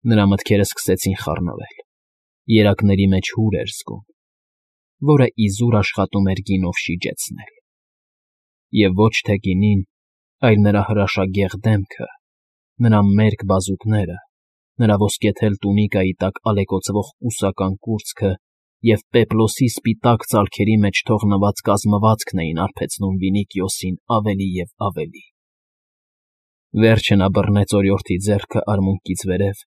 Նրա մտքերը սկսեցին խառնվել, երակների մեջ հուր էր զգում, որը իզուր աշխատում էր գինով շիջեցնել։ Եվ ոչ թե գինին, այլ նրա հրաշագեղ դեմքը, նրա մերկ բազուկները, նրա ոսկեթել տունիկայի տակ ալեկոծվող կուսական կուրծքը և պեպլոսի սպիտակ ծալքերի մեջ թողնված կազմվածքն էին արբեցնում Վինիքիոսին ավելի և ավելի։ Վերջը նա բռնեց օրիորդի ձեռքը արմունկից վերև,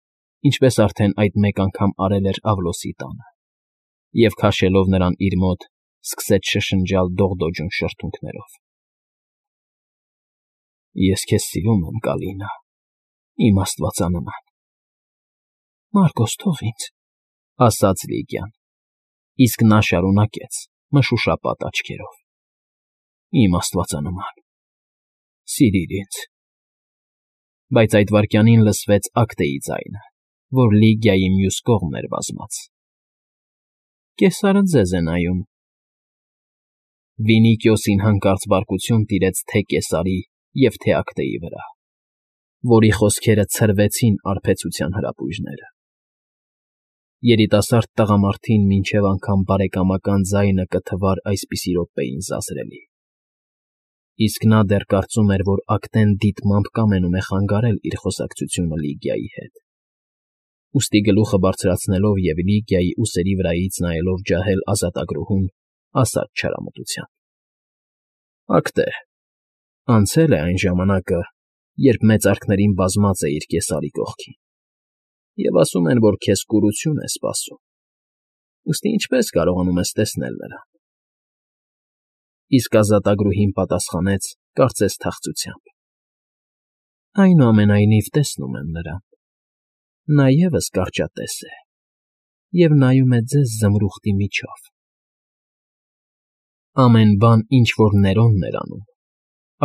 ինչպես արդեն այդ մեկ անգամ արել էր Ավլոսի տանը, և քաշելով նրան իր մոտ, սկսեց շշնջալ դողդոջուն շրթունքներով. «Ես քեզ սիրում եմ, Կալինա, իմ աստվածանման»։ «Մարկոս, թող ինձ», ասաց Լիգիան, իսկ նա շարունակեց մշուշապատ աչքերով. «Իմ աստվածանման, սիրիր ինձ»։ Բայց այդ վայրկյանին լսվեց Ակտեի ձայնը, որ Լիգիայի մյուս կողմն էր վազած. «Կեսարը ձեզ է նայում»։ Վինիքիոսին հանկարծ բարկություն տիրեց թե Կեսարի և թե Ակտեի վրա, որի խոսքերը ցրվեցին արբեցության հրապույրները։ Երիտասարդ տղամարդին մինչև անգամ բարեկամական ձայնը կթվար այսպիսի րոպեին զազրելի, իսկ նա դեռ կարծում էր, որ Ակտեն դիտմամբ կամենում է խանգարել իր խոսակցությունը Լիգիայի հետ։ Ուստի գլուխը բարձրացնելով և Լիգիայի ուսերի վրայից նայելով ջահել ազատագրուհուն, ասաց չարամտությամբ. «Ակտե, անցել է այն ժամանակը, երբ մեծարքներին բազմած էիր Կեսարի կողքին, և ասում են, որ քեզ կուրություն է սպասում, ուստի ինչպե՞ս կարողանում ես տեսնել նրան»։ Իսկ ազատագրուհին պատասխանեց, կարծես թախծությամբ. «Այնուամենայնիվ տեսնում եմ նրան. նա ևս կարճատես է և նայում է ձեզ զմրուխտի միջով»։ Ամեն բան, ինչ որ Ներոնն էր անում,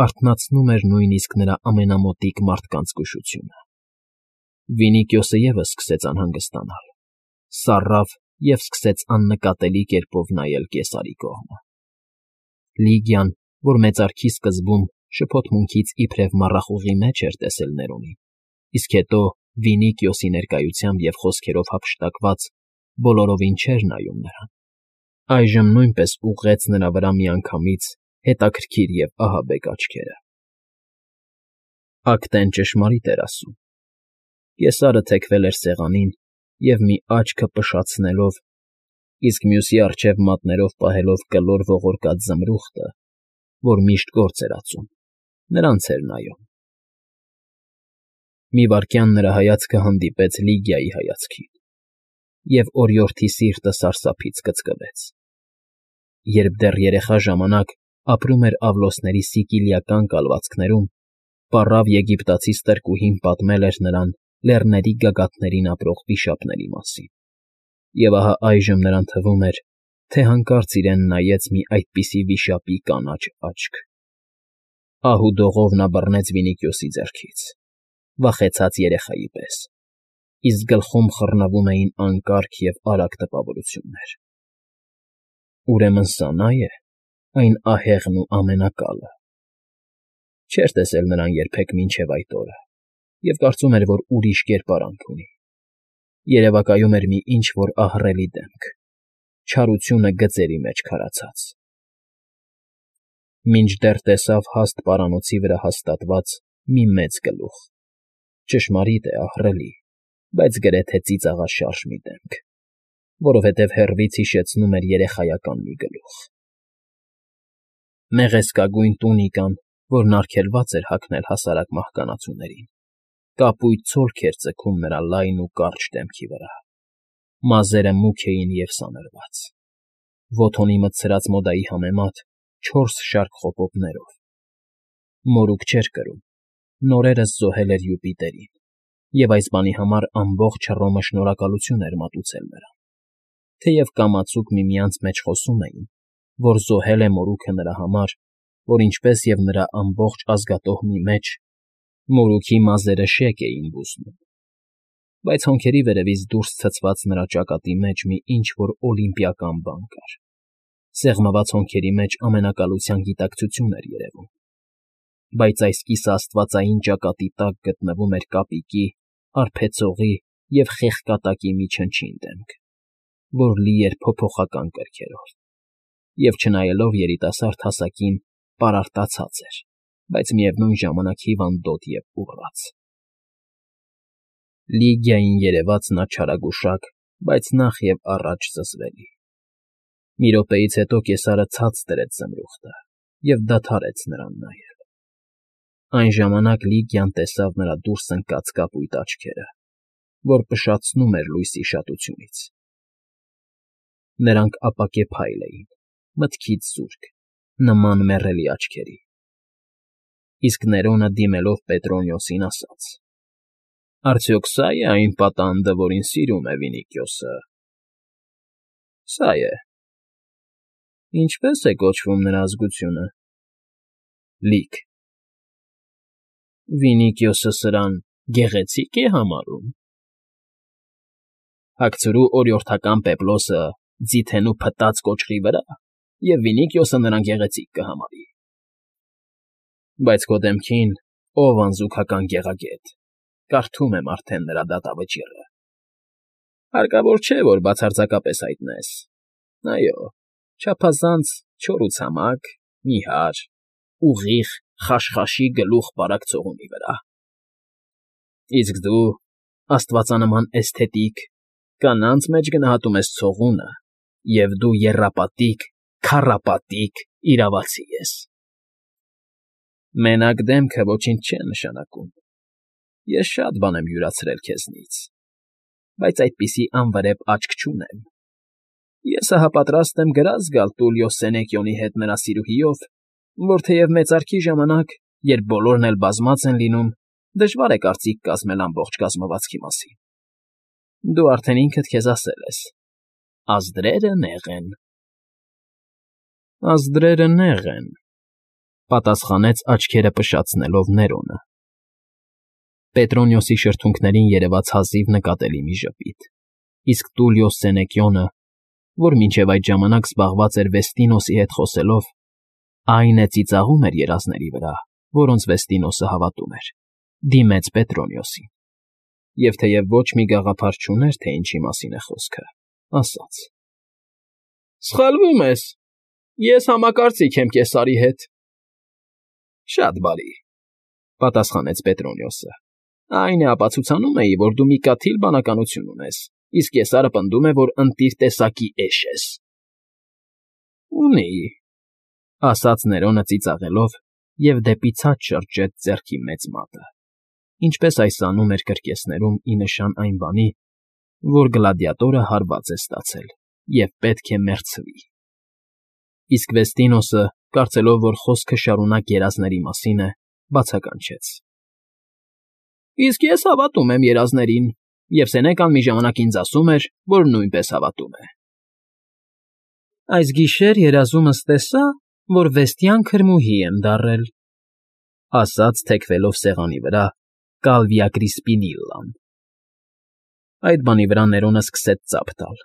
արթնացնում էր նույնիսկ նրա ամենամոտիկ մարդկանց զգուշությունը։ Վինիքիոսը ևս սկսեց անհանգստանալ, սառավ և սկսեց աննկատելի կերպով նայել Կեսարի կողմը։ Լիգիան, որ մեծարքի սկզբում շփոթմունքից իբրև մառախուղի մեջ էր տեսել Ներոնին, իսկ հետո Վինիքիոսի ներկայությամբ և խոսքերով հափշտակված բոլորովին չէր նայում նրան, այժմ նույնպես ուղղեց նրա վրա միանգամից հետաքրքիր և ահաբեկ աչքերը։ Ակտեն ճշմարիտ էր ասում։ Կեսարը թեքվել էր սեղանին և մի աչքը փշացնելով, իսկ մյուսի առջև մատներով պահելով կլոր ողորկած զմրուխտը, որ միշտ գործ էր ածում, նրանց էր նայում։ Մի վայրկյան նրա հայացքը հանդիպեց Լիգիայի հայացքին, և օրիորդի սիրտը սարսափից կծկվեց։ Երբ դեռ երեխա ժամանակ ապրում էր Ավլոսների սիկիլիական կալվածքներում, պառավ եգիպտացի ստրկուհին պատմել էր նրան լեռների գագաթներին ապրող վիշապների մասին, և ահա այժմ նրան թվում էր, թե հանկարծ իրեն նայեց մի այդպիսի վիշապի կանաչ աչք։ Ահու դողով նա բռնեց Վինիքիոսի ձեռքից, վախեցած երեխայի պես, իսկ գլխում խռնվում էին անկարգ և արագ տպավորություններ։ Ուրեմն սա նա է, այն ահեղն ու ամենակալը։ Չէր տեսել նրան երբեք մինչև այդ օրը և կարծում էր, որ ուրիշ կերպարանք ունի։ Երևակայում էր մի ինչ֊որ ահռելի դեմք, չարությունը գծերի մեջ քարացած։ Մինչդեռ տեսավ հաստ պարանոցի վրա հաստատված մի մեծ գլուխ, ճշմարիտ է, ահռելի, բայց գրեթե ծիծաղաշարժ մի դեմք, որովհետև հեռվից հիշեցնում էր երեխայական մի գլուխ։ Մեղեստկագույն տունիկան, որն արգելված էր հագնել հասարակ մահկանացուներին, կապույտ ցոլք էր ձգում նրա լայն ու կարճ դեմքի վրա, մազերը մուգ էին և սանրված, ոտոնի մտցրած մոդայի համեմատ 4 շարք խոպոպներով։ Մորուք չէր կրում, նորերս զոհել էր Յուպիտերին, և այս բանի համար ամբողջ Հռոմը շնորհակալություն էր մատուցել նրան, թեև կամացուկ միմյանց մեջ խոսում էին, որ զոհել է մորուքը նրա համար, որ ինչպես և նրա ամբողջ ազգատոհմի մեջ մորուքի մազերը շեկ էին բուզնում, բայց հոնքերի վերևից դուրս ցցված նրա ճակատի մեջ մի ինչ֊որ օլիմպիական բան կար, սեղմված հոնքերի մեջ ամենակալության գիտակցություն էր երևում, բայց այս կիսաաստվածային ճակատի տակ գտնվում էր կապիկի, արբեցողի և խեղկատակի մի չնչին դեմք, որ լի էր փոփոխական կրքերով, և չնայելով երիտասարդ հասակին պարարտացած էր, բայց միևնույն ժամանակ հիվանդոտ և ուռած։ Լիգիային երևաց նա չարագուշակ, բայց նախ և առաջ զզվելի։ Մի րոպեից հետո կեսարը ցած դրեց զմրուխտը և դադարեց նրան նայել։ Այն ժամանակ Լիգիան տեսավ նրա դուրս ընկած կապույտ աչքերը, որ փշացնում էր լույսի շատությունից։ Նրանք ապակե փայլ էին, մտքից զուրկ, նման մեռելի աչքերի։ Իսկ Ներոնը, դիմելով Պետրոնիոսին, ասաց. «Արդյոք սա՞ է այն պատանդը, որին սիրում է Վինիքիոսը»։ ֊ Սա է։ ֊ Ինչպե՞ս է կոչվում նրա ազգությունը։ ֊ Լիք։ ֊ Վինիքիոսը սրան գեղեցի՞կ է համարում։ ֊ Հագցրու օրիորդական պեպլոսը ձիթենու փտած կոճղի վրա, և Վինիքիոսը նրան գեղեցիկ կհամարի։ Բայց քո դեմքին, ով անզուգական գեղագետ, կարդում եմ արդեն նրա դատավճիռը։ Հարկավոր չէ, որ բացարձակապես հայտնես։ Այո, չափազանց չոր ու ցամաք, նիհար, ուղիղ, խաշխաշի գլուխ բարակ ցողունի վրա։ Իսկ դու, աստվածանման էսթետիկ, կանանց մեջ գնահատում ես ցողունը, և դու եռապատիկ, քառապատիկ իրավացի ես։ Մենակ դեմքը ոչինչ չէ նշանակում։ Ես շատ բան եմ յուրացրել քեզնից, բայց այդպիսի անվրեպ աչք չունեմ։ Ես ահա պատրաստ եմ գրազ գալ Տուլիո Սենեկիոնի հետ նրա սիրուհիով, որ թեև մեծարգի ժամանակ, երբ բոլորն էլ բազմած են լինում, դժվար է կարծիք կազմել ամբողջ կազմվածքի մասին։ Դու արդեն ինքդ քեզ ասել ես. ազդրերը նեղ են։ Ազդրերը նեղ են, պատասխանեց աչքերը փշացնելով Ներոնը։ Պետրոնիոսի շրթունքներին երևաց հազիվ նկատելի մի ժպիտ, իսկ Տուլիո Սենեկիոնը, որ մինչև այդ ժամանակ զբաղված էր Վեստինոսի հետ խոսելով, այն է ծիծաղում էր երազների վրա, որոնց Վեստինոսը հավատում էր, դիմեց Պետրոնիոսին, և թեև ոչ մի գաղափար չուներ, թե ինչի մասին է խոսքը, ասաց. Սխալվում ես, ես համակարծիք եմ Կեսարի հետ։ Շատ բարի, պատասխանեց Պետրոնիոսը։ Այն է ապացուցանում էի, որ դու մի կաթիլ բանականություն ունես, իսկ Կեսարը պնդում է, որ ընտիր տեսակի էշ ես։ Ունի, ասաց Ներոնը ծիծաղելով և դեպի ցած շրջեց ձեռքի մեծ մատը, ինչպես այս անում էր կրկեսներում ի նշան այն բանի, որ գլադիատորը հարված է ստացել և պետք է մեռցվի։ Իսկ Վեստինոսը, կարծելով, որ խոսքը շարունակ երազների մասին է, բացականչեց. Իսկ ես հավատում եմ երազներին, և Սենեկան մի ժամանակ ինձ ասում էր, որ նույնպես հավատում է։ Այս գիշեր երազումս տեսա, որ Վեստյան քրմուհի եմ դառել, ասաց թեքվելով սեղանի վրա Կալվիա Կրիսպինիլլան։ Այդ բանի վրա Ներոնը սկսեց ծափ տալ,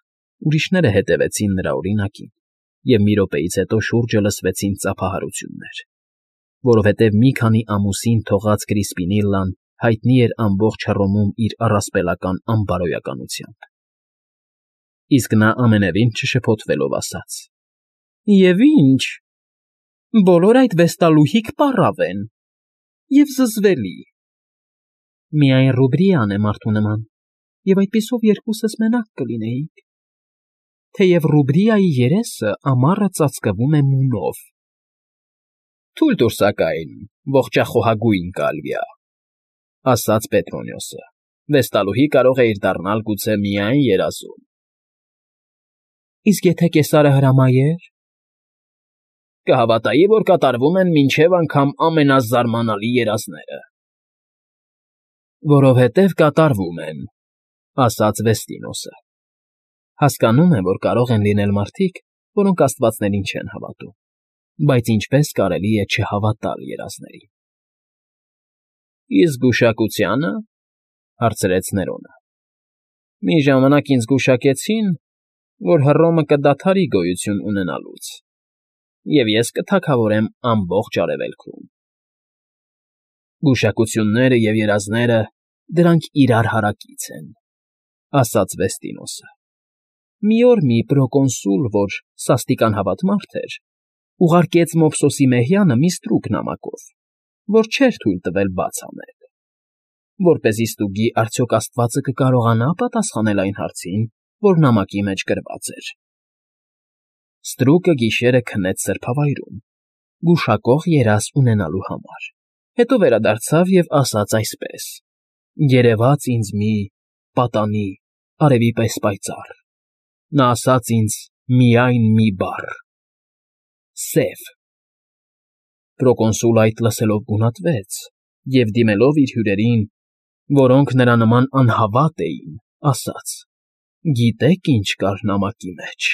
ուրիշները հետևեցին նրա օրինակին, և մի րոպեից հետո շուրջը լսվեցին ծափահարություններ, որովհետև մի քանի ամուսին թողած Կրիսպինիլլան հայտնի էր ամբողջ Հռոմում իր առասպելական անբարոյականությամբ։ Իսկ նա ամենևին չշփոթվելով ասաց. Եվ ինչ, բոլոր այդ վեստալուհիք պառավ են և զզվելի։ Միայն Ռուբրիան է մարդու նման, և այդպիսով երկուսս մենակ կլինեինք, թեև Ռուբրիայի երեսը ամառը ծածկվում է մունով։ Թույլ տուր սակայն, ողջախոհագույն Կալվիա, ասաց Պետրոնիոսը, վեստալուհի կարող է իր դառնալ գուցե միայն երազում։ Իսկ եթե Կեսարը հրամայեր։ Կհավատայի, որ կատարվում են մինչև անգամ ամենազարմանալի երազները։ Որովհետև կատարվում են, ասաց Վեստինոսը։ Հասկանում եմ, որ կարող են լինել մարդիկ, որոնք աստվածներին չեն հավատում, բայց ինչպես կարելի է չհավատալ երազներին։ Իսկ գուշակությա՞նը, հարցրեց Ներոնը։ Մի ժամանակ ինձ գուշակեցին, որ Հռոմը կդադարի գոյություն ունենալուց, և ես կթագավորեմ ամբողջ Արևելքում։ Գուշակությունները և երազները դրանք իրար հարակից են, ասաց Վեստինոսը։ Մի օր մի պրոկոնսուլ, որ սաստիկ անհավատ մարդ էր, ուղարկեց Մոփսոսի մեհյանը մի ստրուկ նամակով, որ չէր թույլ տվել բաց անել, որպեսզի ստուգի արդյոք աստվածը կկարողանա պատասխանել այն հարցին, որ նամակի մեջ գրված էր։ Ստրուկը գիշերը քնեց սրբավայրում, գուշակող երազ ունենալու համար, հետո վերադարձավ և ասաց այսպես. «Երևաց ինձ մի պատանի, արևի պես պայծառ, նա ասաց ինձ միայն մի բառ. սև»։ Պրոկոնսուլը այդ լսելով գունատվեց և, դիմելով իր հյուրերին, որոնք նրա նման անհավատ էին, ասաց. «Գիտե՞ք ինչ կար նամակի մեջ»։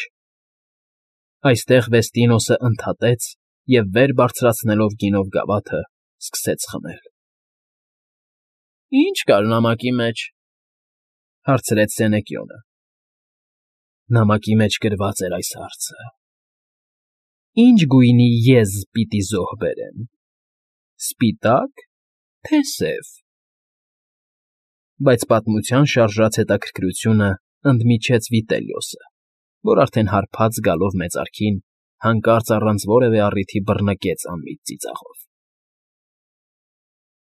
Այստեղ Վեստինոսը ընդհատեց և վեր բարձրացնելով գինով գավաթը, սկսեց խմել։ «Ի՞նչ կար նամակի մեջ», հարցրեց Սենեկիոնը։ Նամակի մեջ գրված էր այս հարցը. «Ինչ գույնի եզ պիտի զոհ բերեմ, սպիտա՞կ, թե սև»։ Բայց պատմության շարժած հետաքրքրությունը ընդմիջեց Վիտելիոսը, որ արդեն հարբած գալով մեծարքին, հանկարծ առանց որևէ առիթի բռնկեց անմիտ ծիծաղով։